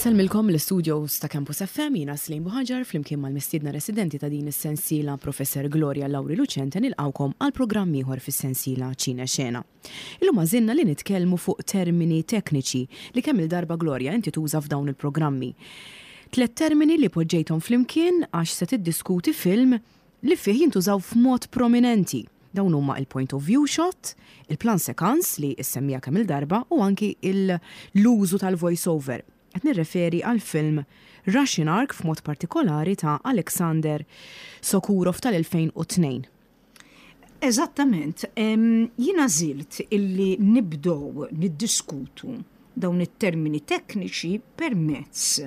Insellmilkom l-istudios ta' Campus FM, jiena Slim Buħaġar flimkien mal-mistiedna residenti ta' din is-sensiela Professor Gloria Lauri Lucente nilqgħukom għal programm ieħor fis-sensiela Ċine Xena. Illum għażilna li nitkellmu fuq termini tekniċi li kemm-il darba Gloria inti tuża f'dawn il-programmi. Tlett termini li poġġejthom flimkien għax se tiddiskuti film li fih jintużaw f'mod prominenti. Dawn huma il-point of view shot, il-plan séquence li issemmija kemm-il darba u anki l-użu tal-voice over. Qed nirreferi għall-film Russian Ark f'mod partikolari ta' Alexander Sokurov tal-2002. Eżattament. Jien għażilt illi nibdew niddiskutu dawn it-termini tekniċi permezz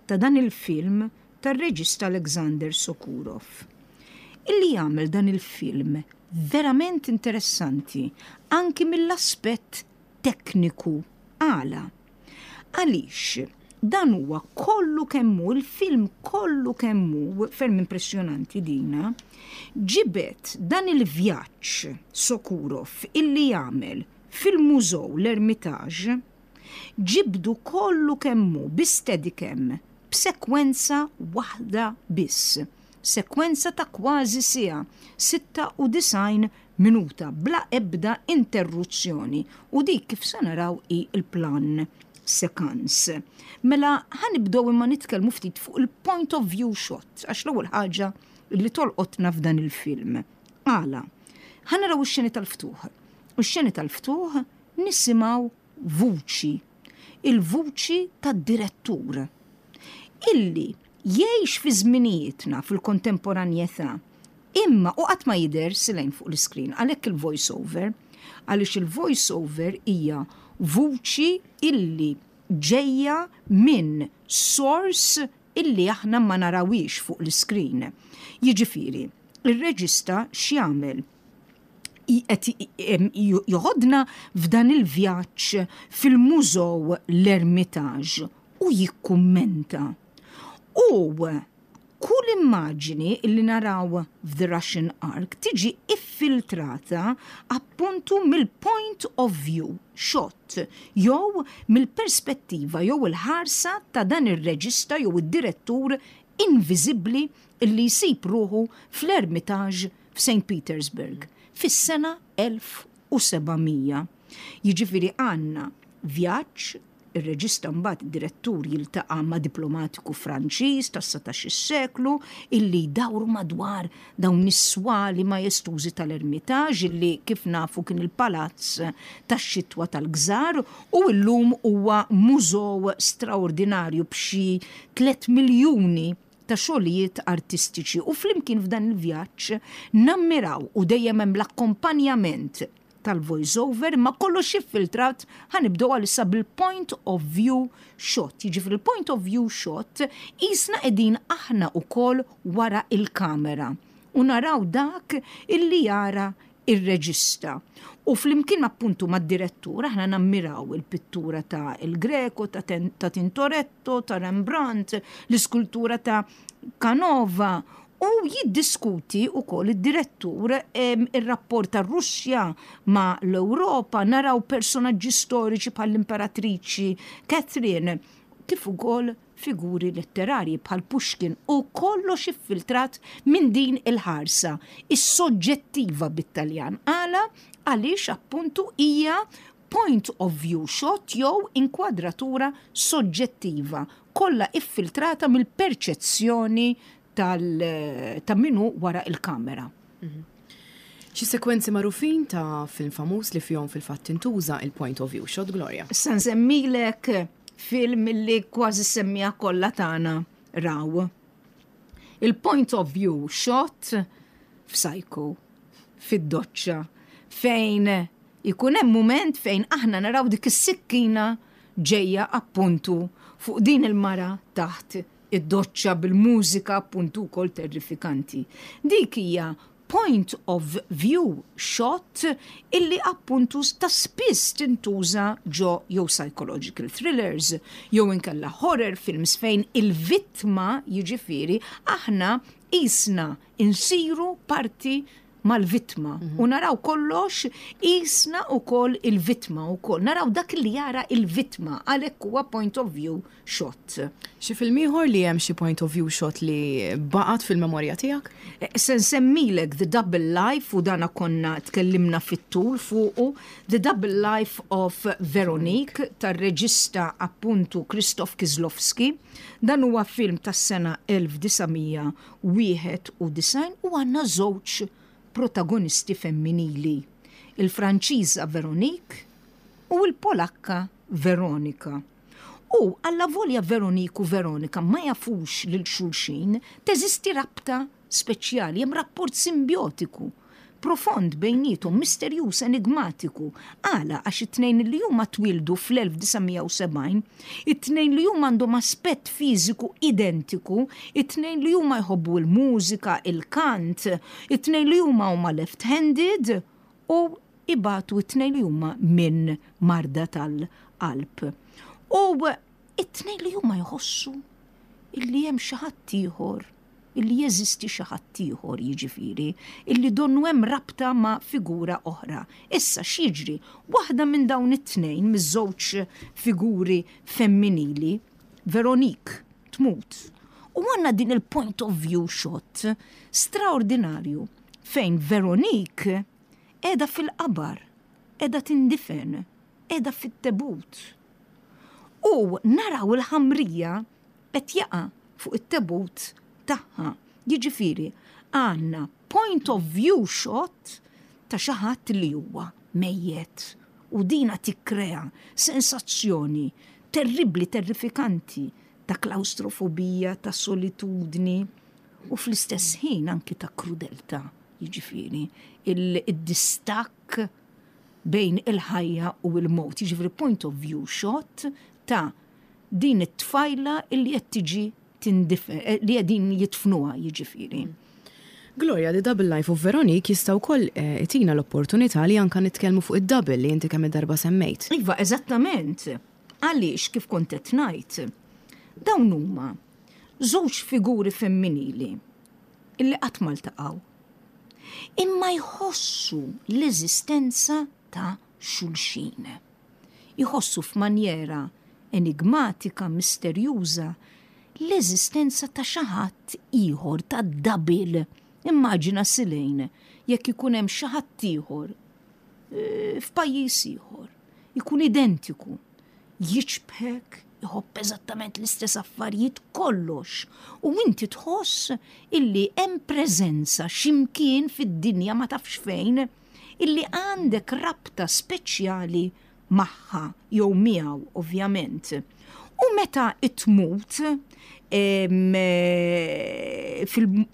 ta' dan il-film tar-reġista Alexander Sokurov, illi jagħmel dan il-film verament interessanti anki mill-aspett tekniku. Għala? Għaliex dan huwa kollu kemm hu, il-film kollu kemm hu, ferm impressjonanti dina, ġibed dan il-vjaġġ Sokurov illi jagħmel fil-mużew l-Ermitage, Ġibdu kollu kemm hu bi steadicam b'sekwenza waħda biss. Sekwenza ta' kważi siegħa, 96 minuta, bla ebda interruzzjoni u dik kif se naraw hi l-plan séquence. Mela ħa nibdew imma nitkellmu ftit fuq il-point of view shot għax l-ewwel ħaġa li tolqotna f'dan il-film. Għala? Ħa naraw ix-xeni tal-ftuħ. U x-xeni tal-ftuħ nisimgħu vuċi, il-vuċi tad-direttur, illi jgħix fi żminijietna fil-kontemporanjetà, imma u qatt ma jidher silejn fuq l-iskrin, għalhekk il-voice over, għaliex il-voice over hija vuċi illi ġejja minn source illi aħna ma narawhiex fuq l-iskrin. Jiġifieri, ir-reġista x'jagħmel? qed joħodna f'dan il-vjaġġ fil-mużew l-Ermitage u jikkummenta. U kull immaġini li naraw f'The Russian Ark tiġi iffiltrata appuntu mill-point of view shot jew mill-perspettiva jew il-ħarsa ta' dan ir-reġista jew id-direttur inviżibbli li jsib ruħu fl-Ermitage f'Saint Petersburg fis-sena 1700. Jiġifieri għandna vjaġġ, ir-reġista mbagħad id-direttur jiltaqa' ma' diplomatiku Franċiż tas-satax-il seklu illi jdawru madwar dawn is-swali majestużi tal-Ermitage illi kif nafu kien il-palazz tax-xitwa tal-gżar u llum huwa mużew straordinarju b'xi tlett miljuni ta' xogħlijiet artistiċi u flimkien f'dan il-vjaġġ nammiraw u dejjem hemm l-akkompanjament tal-voice over imma kollox iffiltrat ħa nibdew għalissa bil-point of view shot. Jiġifieri l-point of view shot qisna qegħdin aħna wkoll wara l-kamera u naraw dak illi jara ir-reġista. U flimkien appuntu mad-direttur aħna nammiraw il-pittura ta' El Greco, ta' ta' Tintoretto, ta' Rembrandt, l-iskultura ta' Canova u jiddiskuti wkoll id-direttur ir-rapport tar-Russja ma' l-Ewropa, naraw personaġġi storiċi bħall-Imperatriċi Catherine, kif ukoll figuri letterarji bħal Pushkin u kollox iffiltrat minn din il-ħarsa, is-soġġettiva bit-Taljan. Għala? Għaliex appuntu hija point of view shot jew inkwadratura soġġettiva, kollha iffiltrata mill-perċezzjoni tal ta' min hu wara il-kamera. Xi sekwenzi magħrufin ta' film famuż li fihom fil-fatt tintuża il-point of view shot, Gloria? Issa nsemmilek film li kważi s-semmiegħa kollha tagħna raw. Il-point of view shot f'Psycho, fid-doċċa, fejn ikun hemm mument fejn aħna naraw dik is-sikkina ġejja appuntu fuq din il-mara taħt id-doċċa bil-mużika appuntu wkoll terrifikanti. Dik hija point of view shot illi appuntu ta' spiss tintuża ġo jew psychological thrillers jew inkella horror films fejn il-vittma jiġifieri aħna qisna insiru parti. mal-vittma u naraw kollox qisna wkoll il-vittma wkoll. Naraw dak li jara il-vittma għalhekk huwa point of view shot. Xi film ieħor li hemm xi point of view shot li baqgħet fil-memorja tiegħek? Se nsemmilek The Double Life u dana konna tkellimna fit-tul fuqu, The Double Life of Veronique tar-reġista appuntu Krzysztof Kieślowski. Dan huwa film tas-sena 1991 u għandna żewġ protagonisti femminili, il-Franċiża Veronique u l-Polakka Veronika. U allavolja Veronique u Veronika ma jafux lil xulxin, teżisti rabta speċjali, hemm rapport simbjotiku profond bejniethom, misterjuż, enigmatiku. Għala? Għax it-tnejn li huma twieldu fl-1970, it-tnejn li huma għandhom aspett fiżiku identiku, it-tnejn li huma jħobbu l-mużika, il-kant, it-tnejn li huma huma left-handed u ibatu it-tnejn li huma minn marda tal-qalb. U it-tnejn li huma jħossu illi hemm xi ħadd ieħor, illi jeżisti xi ħadd ieħor, jiġifieri, illi donnu hemm rabta ma' figura oħra. Issa x'jiġri? Waħda minn dawn it-tnejn, miż-żewġ figuri femminili, Veronique, tmut. U għandna din il-point of view shot straordinarju fejn Veronique qiegħda fil-qabar, qiegħda tindifen, qiegħda fit-tebut. U naraw il-ħamrija qed jaqa' fuq it-tebut tagħha. Jiġifieri għandna point of view shot ta' xi ħadd li huwa mejjet. U dina tikkrea sensazzjoni terribbli, terrifikanti ta' klaustrofobija, ta' solitudni u fl-istess ħin anki ta' krudeltà, jiġifieri il-distakk bejn il-ħajja u l-mewt, jiġifieri point of view shot ta' din it-tfajla illi qed tiġi tindifen, li qegħdin jidfnuha jiġifieri. Gloria, The Double Life of Veronique jista' wkoll itina l-opportunità li anka nitkellmu fuq id-double li inti kemm il-darba semmejt. Iva, eżattament. Għaliex kif kont qed ngħid, dawn huma żewġ figuri femminili illi qatt ma ltaqgħu. Imma jħossu l-eżistenza ta' xulxin. Jħossu f'manjera enigmatika, misterjuża, l-eżistenza ta' xi ħadd ieħor, ta' double. Immaġina Silejn jekk ikun hemm xi ħadd ieħor f'pajjiż ieħor, ikun identiku, jiċbħek, iħobb eżattament l-istess affarijiet kollox. U inti tħoss illi hemm preżenza x'imkien fid-dinja ma tafx fejn, illi għandek rabta speċjali magħha jew miegħu ovvjament. U meta tmut,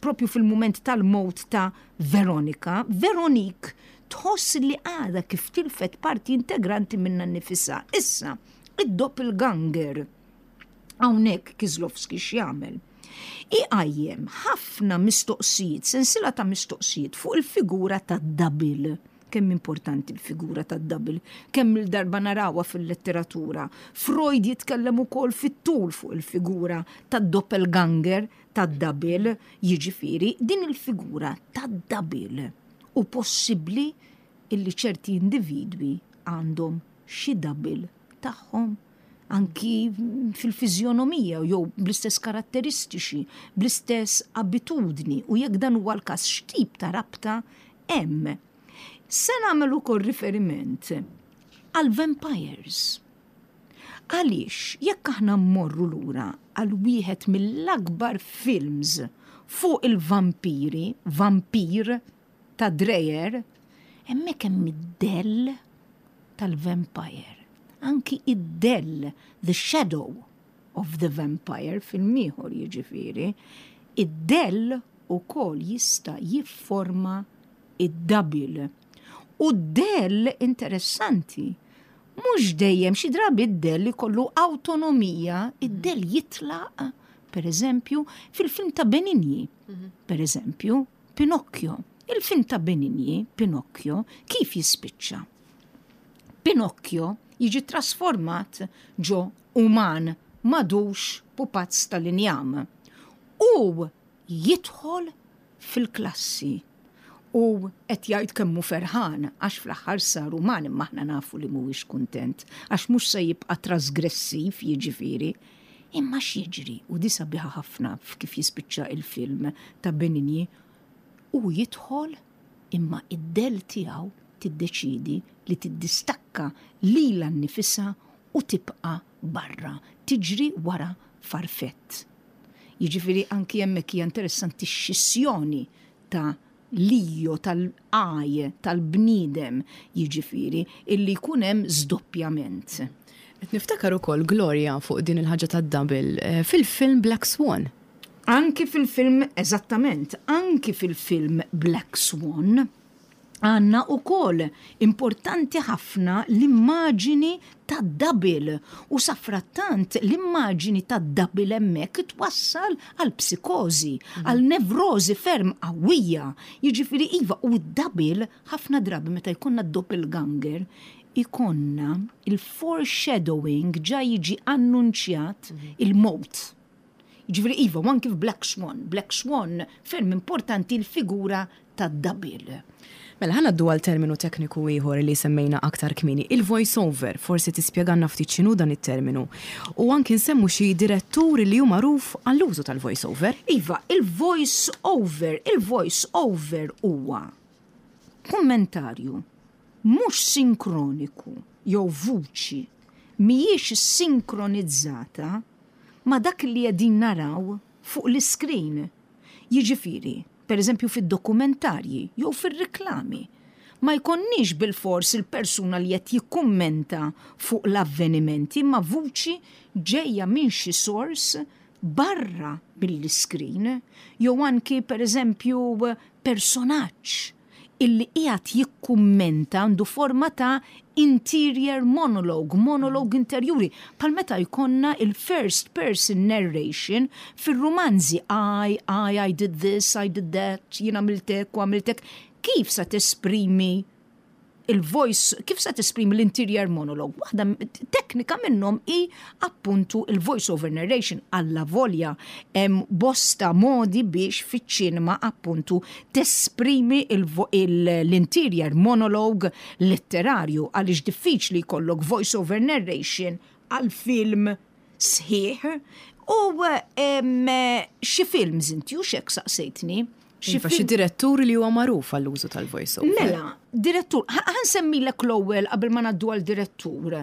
propju fil-mument tal-mowt ta' Veronika, Veronique tħoss li għadha kif tilfet parti integranti minna nnifisha. Issa, id-doppelganger, hawnhekk Kieślowski x'jagħmel? Iqajjem ħafna mistoqsijiet, sensiela ta' mistoqsijiet fuq il-figura ta' double. Kemm importanti l-figura ta' double, kemm il-darba narawha fil-letteratura. Freud jitkellem ukoll fit-tul fuq il-figura ta' doppelganger, ta' double, jiġifieri din il-figura ta' double. U possibbli illi ċerti individwi għandhom xi double tagħhom anki fil-fiżjonomija jew bl-istess karatteristiċi, bl-istess abitudni, u jekk dan huwa l-każ x'tip ta' rabta hemm. Se nagħmel ukoll riferiment għal vampires. Għaliex jekk aħna mmorru lura għal wieħed mill-akbar films fuq il-vampiri, Vampir ta' Dreyer, hemmhekk hemm id-dell tal-vampire. Anki id-dell, the shadow of the vampire, film ieħor jiġifieri, id-dell ukoll jista' jifforma id-double. U d-dell interessanti, mhux dejjem, xi drabi id-dell ikollu autonomija, id-dell jitlaq, per eżempju, fil-film ta' Benigni, per eżempju, Pinocchio. Il-film ta' Benigni, Pinocchio, kif jispiċċa? Pinocchio jiġi trasformat ġo uman, madux pupazz tal-injam. U jidħol fil-klassi. U qed jgħid kemm hu ferħan għax fl-aħħar sar uman imma aħna nafu li mhuwiex kuntent għax mhux se jibqa' trasgressiv jiġifieri. Imma x'jiġri, u di sabiħa ħafna f'kif jispiċċa il-film ta' Benigni, hu jidħol imma id-dell tiegħu tiddeċiedi li tiddistakka lilha nnifisha u tibqa' barra, tiġri wara farfett. Jiġifieri anki hemmhekk hija interessanti x-xissjoni ta' l-io, tal-I, tal-bniedem, jiġifieri, illi jkun hemm żdoppjament. Qed niftakar ukoll, Gloria, fuq din il-ħaġa tad-double, fil-film Black Swan. Anki fil-film, eżattament, anki fil-film Black Swan, għandna ukoll importanti ħafna l-immaġini tad-double u safrattant l-immaġini tad-double hemmhekk twassal għal psikożi, għal nevrożi ferm qawwija. Jiġifieri iva u d-double ħafna drabi meta jkollna doppelganger ikollna il-foreshadowing ġa jiġi annunċjat il-mewt. Jiġifieri iva, u anki f'Black Swan. Black Swan ferm importanti l-figura tad-double. Mela ħa ngħaddu għal terminu tekniku ieħor li semmejna aktar kmieni, il-voice over. Forsi tispjegalna ftit x'inhu dan it-terminu. U anki nsemmu xi direttur li hu magħruf għall-użu tal-voice over. Iva, il-voice over, il-voice over huwa kummentarju mhux sinkroniku jew vuċi mhijiex sinkronizzata ma' dak li qegħdin naraw fuq l-iskrin. Jiġifieri, pereżempju fid-dokumentarji jew fir-riklami, ma jkollniex bilfors il-persuna li qed jikkummenta fuq l-avvenimenti imma vuċi ġejja minn xi sors barra mill-iskrin jew anki pereżempju personaġġ illi qiegħed jikkummenta għandu forma ta' interior monologue, monologue interjuri, bħal meta jkollna il-first person narration fir-rumanzi I, I, I did this, I did that, jien għamilt hekk u għamilt hekk. Kif sa tesprimi il-voice, kif sa tesprimi l-interior monologue? Waħda teknika minnhom hi appuntu il-voice over narration alla volja hemm bosta modi biex fiċ-ċinema appuntu tesprimi l-interior monologue letterarju għaliex diffiċli jkollok voice over narration għal film sħiħ u xi films inti u xek saqsejtni. Xi iva, xi direttur li huwa magħruf għall-użu tal-voice over. Mela, direttur, ħa nsemmilek l-ewwel qabel ma ngħaddu għal direttur.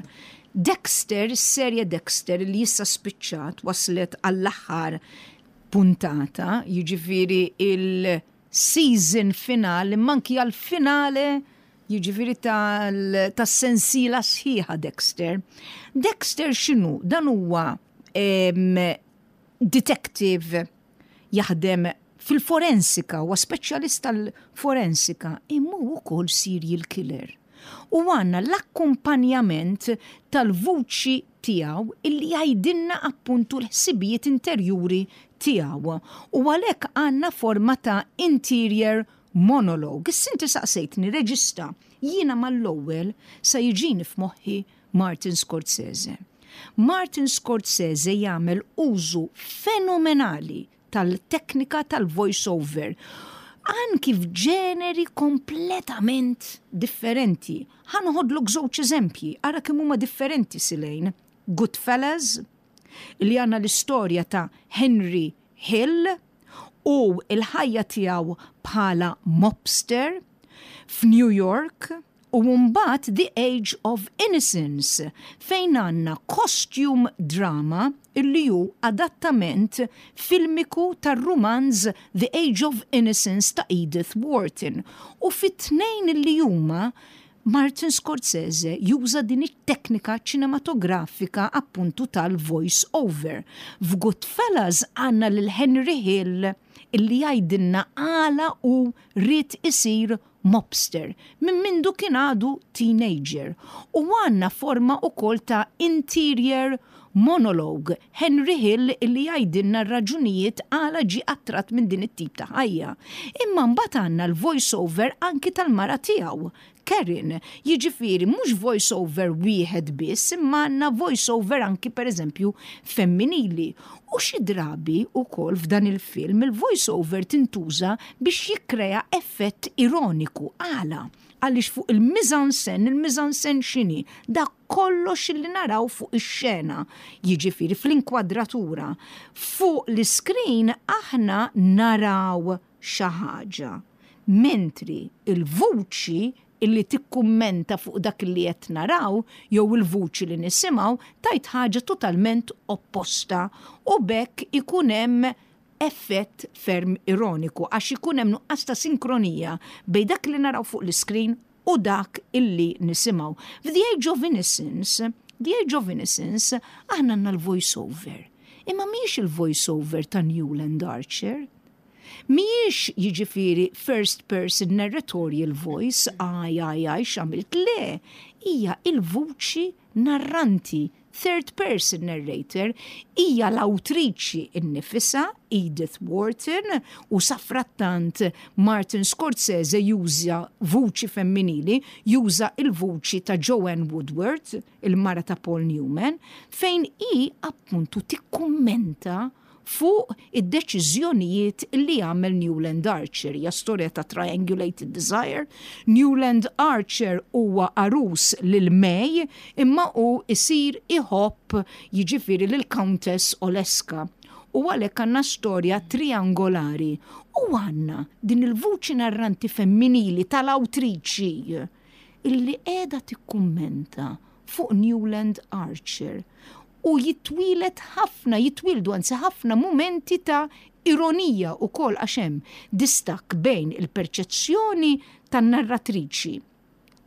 Dexter, is-serje Dexter li issa spiċċat waslet għall-aħħar puntata, jiġifieri il-season finale, manki għal-finale jiġifieri tas-sensiela sħiħa Dexter. Dexter x'inhu? Dan huwa detective jaħdem fil-forensika, huwa speċjalist tal-forensika, imma hu wkoll serial killer. U għandna l-akkumpanjament tal-vuċi tiegħu illi jgħidilna appuntu l-ħsibijiet interjuri tiegħu. U għalhekk għandna forma ta' interior monologue. Issa inti saqsejtni reġista, jiena mal-ewwel sa jiġini f'moħħi Martin Scorsese. Martin Scorsese jagħmel użu fenomenali tal-teknika tal-voice over. Anki f'ġeneri kompletament differenti. Ħa noħodlok żewġ eżempji, ara kemm huma differenti silejn. Goodfellas, li għandna l-istorja ta' Henry Hill u il-ħajja tiegħu bħala mobster f'New York u mbagħad The Age of Innocence fejn għandna costume drama illi hu adattament filmiku tar-rumanz The Age of Innocence ta' Edith Wharton. U fit-tnejn illi huma Martin Scorsese juża din it-teknika ċinematografika appuntu tal-voice over. F'Goodfellas għandna lil Henry Hill illi jgħidilna għala hu ried isir mobster minn mindu kien għadu teenager u għandna forma ukoll ta' interior monologue Henry Hill illi jgħidilna r-raġunijiet għala ġie attratt minn din it-tip ta' ħajja. Imma mbagħad għandna l-voice over anki tal-mara tiegħu, Karen. Jiġifieri mhux voice over wieħed biss imma għandna voice over anki pereżempju femminili. U xi drabi wkoll f'dan il-film il-voice over tintuża biex jikkrea effett ironiku. Għala? Għaliex fuq il-mise-en-scène, il-mise-en-scène x'inhi? Dak kollox li naraw fuq ix-xena, jiġifieri fl-inkwadratura. Fuq l-iscreen aħna naraw xi ħaġa, mentri l-vuċi illi tikkummenta fuq dak li qed naraw jew il-vuċi li nisimgħu tgħid ħaġa totalment opposta u b'hekk ikun hemm effett ferm ironiku għax ikun hemm nuqqas ta' sinkronija bejn dak li naraw fuq l-iskrin u dak illi nisimgħu. F'The Age of Innocence, The Age of Innocence, aħna għandna l-voice over. Imma mhijiex il-voice over ta' Newland Archer. Mhijiex jiġifieri first person narratorial voice, I, I, I, x'għamilt, le, hija il-vuċi narranti, third person narrator, hija l-awtriċi nnifisha, Edith Wharton, u safrattant Martin Scorsese juża vuċi femminili, juża l-vuċi ta' Joanne Woodward, il-mara ta' Paul Newman, fejn hi appuntu tikkummenta fuq id-deċiżjonijiet li għamel Newland Archer. Hija storja ta' triangulated desire. Newland Archer huwa għarus lil May imma hu jsir iħobb jiġifieri lil Countess Oleska. U għalhekk għandna storja triangolari u għandna din il-vuċi narranti femminili tal-awtriċi illi qiegħda tikkummenta fuq Newland Archer u jitwieled ħafna, jitwieldu anzi ħafna mumenti ta' ironija wkoll għax hemm distakk bejn il-perċezzjoni tan-narratriċi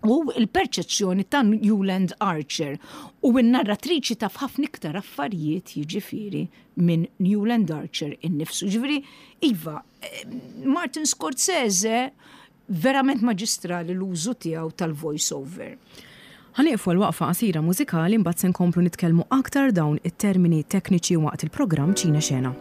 u l-perċezzjoni ta' Newland Archer u n-narratriċi taf ħafna iktar affarijiet jiġifieri minn Newland Archer innifsu. Jiġifieri, iva, Martin Scorsese Verament maġistrali l-użu tiegħu tal-voice over. Ħa nieqfu għal waqfa qasira mużikali mbagħad se nkomplu nitkellmu aktar dawn it-termini tekniċi waqt il-programm Ċine Xena.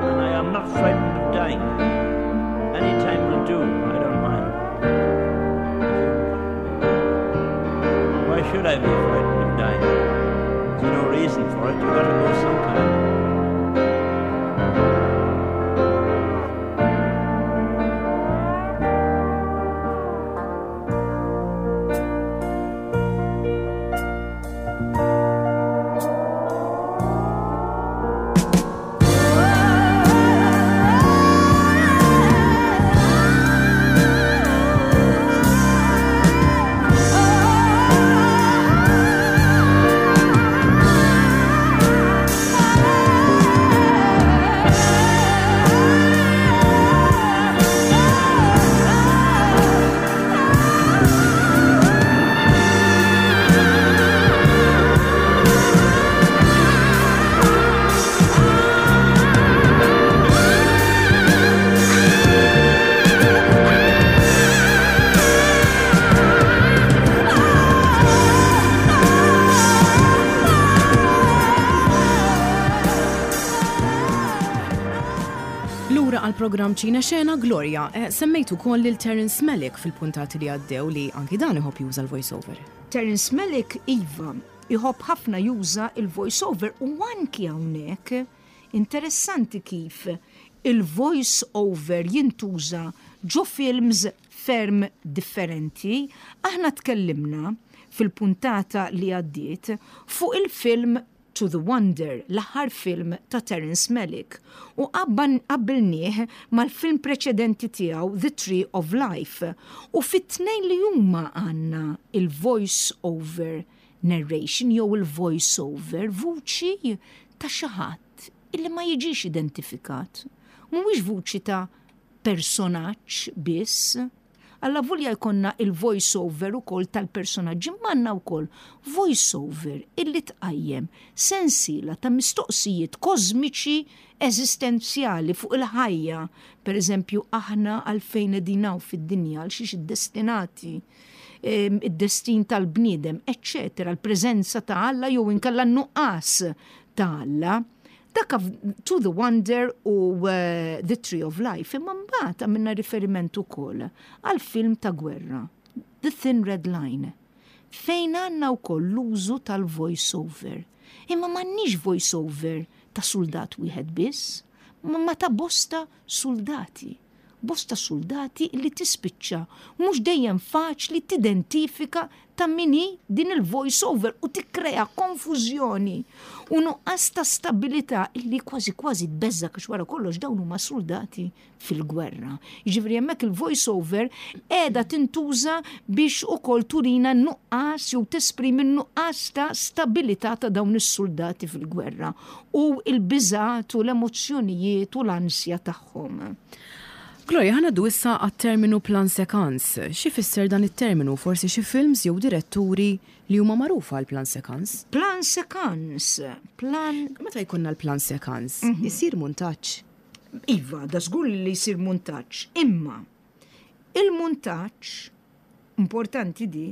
And I am not frightened of dying. Any time will do, I don't mind. Why should I be frightened of dying? There's no reason for it. You've got to go sometime. Lura għal programm Ċina Xena Gloria, eh, semmejt ukoll lil Terence Malick fil-puntati li għaddew li anki dan iħobb juża l-voice-over. Terence Malick iva, iħobb ħafna juża il-voice over u anki hawnhekk interessanti kif il-voice over jintuża ġo films ferm differenti. Aħna tkellimna fil-puntata li għaddiet fuq il-film To the Wonder, l-aħħar film ta' Terence Malick, u qabbilnieh mal-film preċedenti tiegħu The Tree of Life, u fit-tnejn li huma għandna il-voice over narration jew il-voice over, vuċi ta' xi ħadd. illi ma jiġix identifikat. Mhuwiex vuċi ta' personaġġ biss. Allavolja jkollna il-voice over ukoll tal-personaġġi imma għandna wkoll voice over illi tqajjem sensiela ta' mistoqsijiet kożmiċi eżistenzjali fuq il-ħajja, per eżempju aħna għalfejn qegħdin hawn fid-dinja, għal xiex iddestinati, id-destin tal-bniedem, eċċetera, l-preżenza ta' Alla jew inkella n-nuqqas ta' Alla. Dak To the Wonder u The Tree of Life, imma mbagħad għamilna riferiment ukoll għal film ta' gwerra, The Thin Red Line, fejn għandna wkoll l-użu tal-voice over. Imma m'għandniex voice over ta' suldat wieħed biss, ma ta' bosta suldati. Bosta suldati li tispiċċa mhux dejjem faċli tidentifika ta' min hi din il-voice over u tikkrea konfużjoni u nuqqas ta' stabilità illi kważi kważi tbeżżgħek għax wara kollox dawn huma suldati fil-gwerra. Jiġifieri hemmhekk il-voice over qiegħda tintuża biex ukoll turina n-nuqqas jew tesprimi n-nuqqas ta' stabilità ta' dawn is-suldati fil-gwerra u l-biżgħat u l-emozzjonijiet u l-ansja tagħhom. Gloria, ħa ngħaddu issa għat-terminu plan séquence. X'ifisser dan it-terminu? Forsi xi films jew diretturi li huma magħrufa għal plan séquence? Plan séquence, plan. Meta jkollna l-plan séquence, isir muntaġġ? Iva, da żgur li jsir muntaġġ, imma il-muntaġġ, importanti di,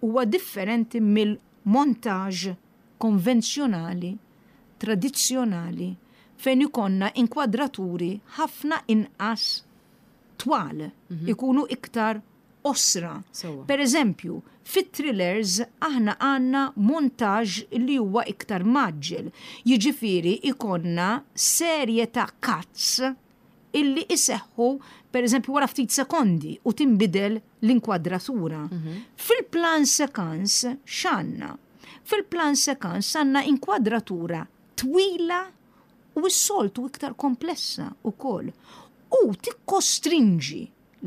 huwa differenti mill-montage konvenzjonali tradizzjonali fejn ikollna inkwadraturi ħafna inqas twal, ikunu iktar qosra. Per eżempju, fit-thrillers aħna għandna montage li huwa iktar mgħaġġel, jiġifieri ikollna serje ta' cuts illi iseħħu per eżempju wara ftit sekondi u tinbidel l-inkwadratura. Fil-plan séquence x'għandna? Fil-plan séquence għandna inkwadratura twila u s-soltu iktar komplessa wkoll u tikkostrinġi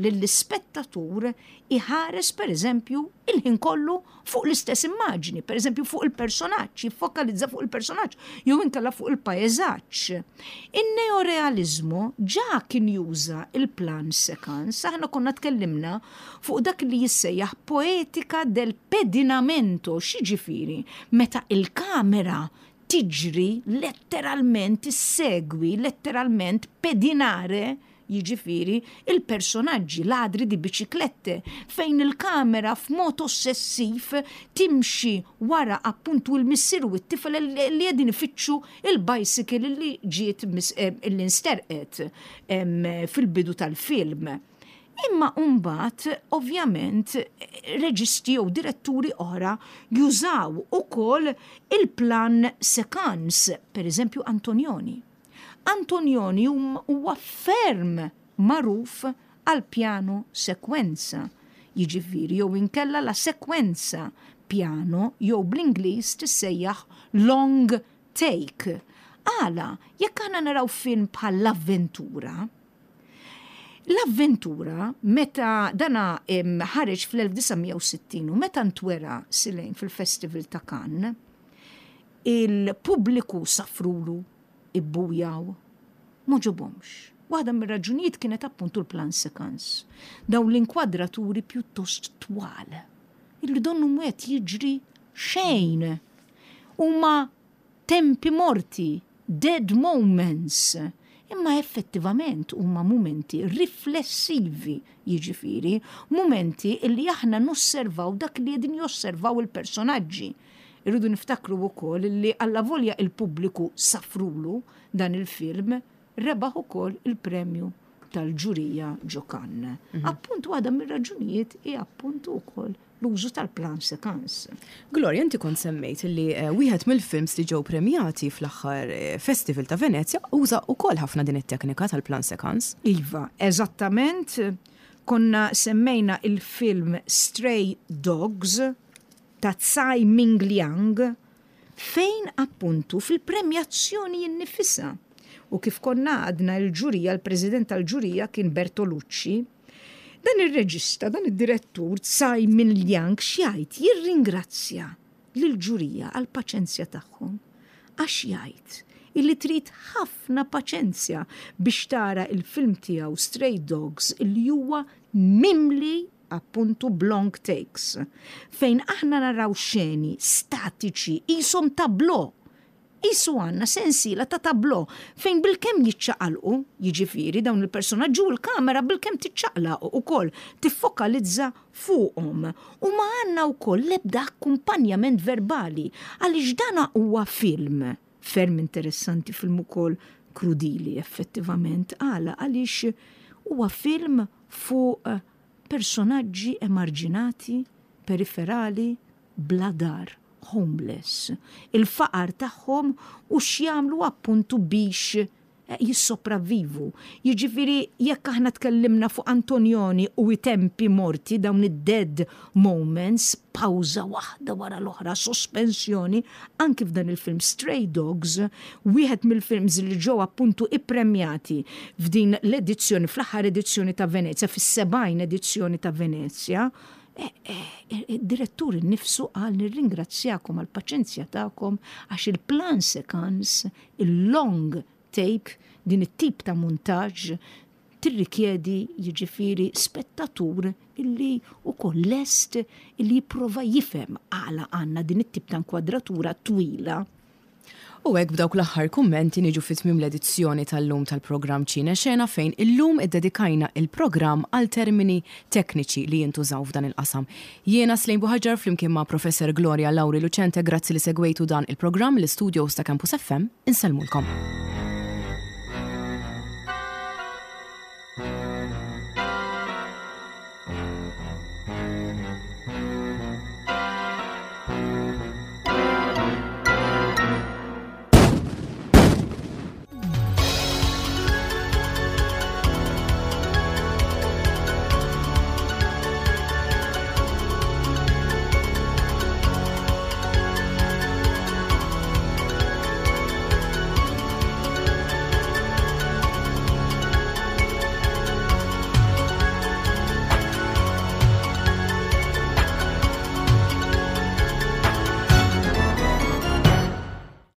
lill-ispettatur iħares pereżempju il-ħin kollu fuq l-istess immaġni, pereżempju fuq il-personaġġ, jiffokalizza fuq il-personaġġ jew inkella fuq il-paesaġġ. In-neorealiżmu ġa kien juża il-plan séquence, aħna konna tkellimna fuq dak li jissejjaħ poetika del pedinamento, x'jiġifieri meta il-kamera tiġri letteralment, issegwi letteralment pedinare jiġifieri il-personaġġi ladri di biciclette, fejn il-kamera f'mod ossessiv timxi wara appuntu l-missier u t-tifel li qegħdin ifittxu il-bicycle li ġiet li nsterqet fil-bidu tal-film. Imma mbagħad ovvjament reġisti jew diretturi oħra jużaw ukoll il-plan séquence, pereżempju Antonioni. Antonioni huwa ferm magħruf għall-pjano sekwenza, jiġifieri jew inkella la sekwenza piano jew bl-Ingliż tissejjaħ long take. Għala, jekk aħna naraw film bħal L-Avventura, L-Avventura meta dana ħareġ fl-1960 u meta ntwera Silejn fil-Festival ta' Cannes, il-pubbliku safrulu, ibbujaw, m'għoġobhomx. Waħda mir-raġunijiet kienet appuntu l-plan séquence, dawn l-inkwadraturi pjuttost twal, illi donnu mhu qed jiġri xejn. Huma tempi morti, dead moments, imma effettivament huma mumenti riflessivi, jiġifieri mumenti illi aħna nosservaw dak li qegħdin josservaw il-personaġġi. Irridu niftakru wkoll li allavolja il-pubbliku safrulu dan il-film, rebaħ ukoll il-premju tal-ġurija ġo Cannes. Appuntu waħda mir-raġunijiet hi appuntu wkoll l-użu tal-plan séquence. Gloria, inti kont semmejt li wieħed mill-films li ġew premjati fl-aħħar Festival ta' Venezja uża wkoll ħafna din it-teknika tal-plan séquence. Iva, eżattament. Konna semmejna il-film Stray Dogs ta' Tsai Ming-liang, fejn appuntu fil-premjazzjoni innifisha, u kif konna għadna l-ġurija, l-president tal-ġurija kien Bertolucci, dan ir-reġista, dan id-direttur Tsai Ming-liang x'jgħid? Jirringrazzja lill-ġurija għall-paċenzja tagħhom għax jgħid illi trid ħafna paċenzja biex tara il-film tiegħu Stray Dogs illi huwa mimli appuntu b'long takes, fejn aħna naraw xeni statiċi qishom tableau. Qisu għandna sensiela ta' tableau fejn bilkemm jiċċaqalqu, jiġifieri dawn il-personaġġi u l-kamera bilkemm tiċċaqlaq ukoll, tiffokalizza fuqhom. U ma għandna wkoll l-ebda akkumpanjament verbali għaliex dan huwa film ferm interessanti, film ukoll krudili effettivament. Għala? Għaliex huwa film fuq personaġġi emarġinati, periferali, bla dar, homeless, il-faqar tagħhom u x'jagħmlu appuntu biex jissopravvivu. Jiġifieri jekk aħna tkellimna fuq Antonioni u i tempi morti, dawn id-dead moments, pawża waħda wara l-oħra, sospensjoni, anki f'dan il-film Stray Dogs, wieħed mill-films li ġew appuntu ippremjati f'din l-edizzjoni, fl-aħħar edizzjoni ta' Venezja, fis-70 edizzjoni ta' Venezja, id-direttur innifsu qal nirringrazzjakom għall-paċenzja tagħkom għax il-plan séquence, il-long take, din it-tip ta' muntaġġ tirrikjedi jiġifieri spettatur illi wkoll lest illi jipprova jifhem għala għandna din it-tip ta' inkwadratura twila. U hekk b'dawk l-aħħar kummenti niġu fi tmiem l-edizzjoni tal-lum tal-programm Ċine Xena fejn illum iddedikajna il-programm għal termini tekniċi li jintużaw f'dan il-qasam. Jiena Slane Buhaġar flimkien ma' Professor Gloria Lauri Lucente grazzi li segwejtu dan il-programm l-istudios ta' Campus FM insellmulkom.